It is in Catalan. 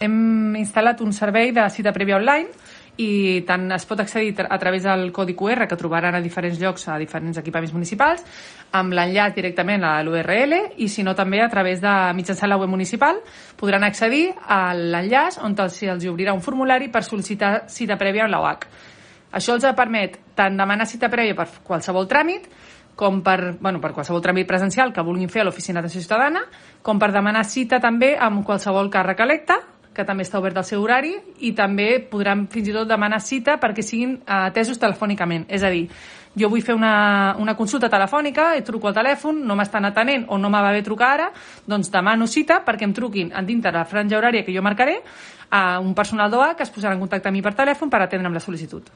Hem instal·lat un servei de cita prèvia online i tant es pot accedir a través del codi QR que trobaran a diferents llocs, a diferents equipaments municipals, amb l'enllaç directament a l'URL, i si no també a través de mitjançant la web municipal podran accedir a l'enllaç on els obrirà un formulari per sol·licitar cita prèvia amb l'OAC. Això els permet tant demanar cita prèvia per qualsevol tràmit, com per qualsevol tràmit presencial que vulguin fer a l'Oficina d'Atenció Ciutadana, com per demanar cita també amb qualsevol càrrec electe, que també està obert al seu horari, i també podran fins i tot demanar cita perquè siguin atesos telefònicament. És a dir, jo vull fer una consulta telefònica, truco al telèfon, no m'estan atenent o no me va bé trucar ara, doncs demano cita perquè em truquin dintre la franja horària que jo marcaré a un personal d'OAC que es posarà en contacte amb mi per telèfon per atendre'm la sol·licitud.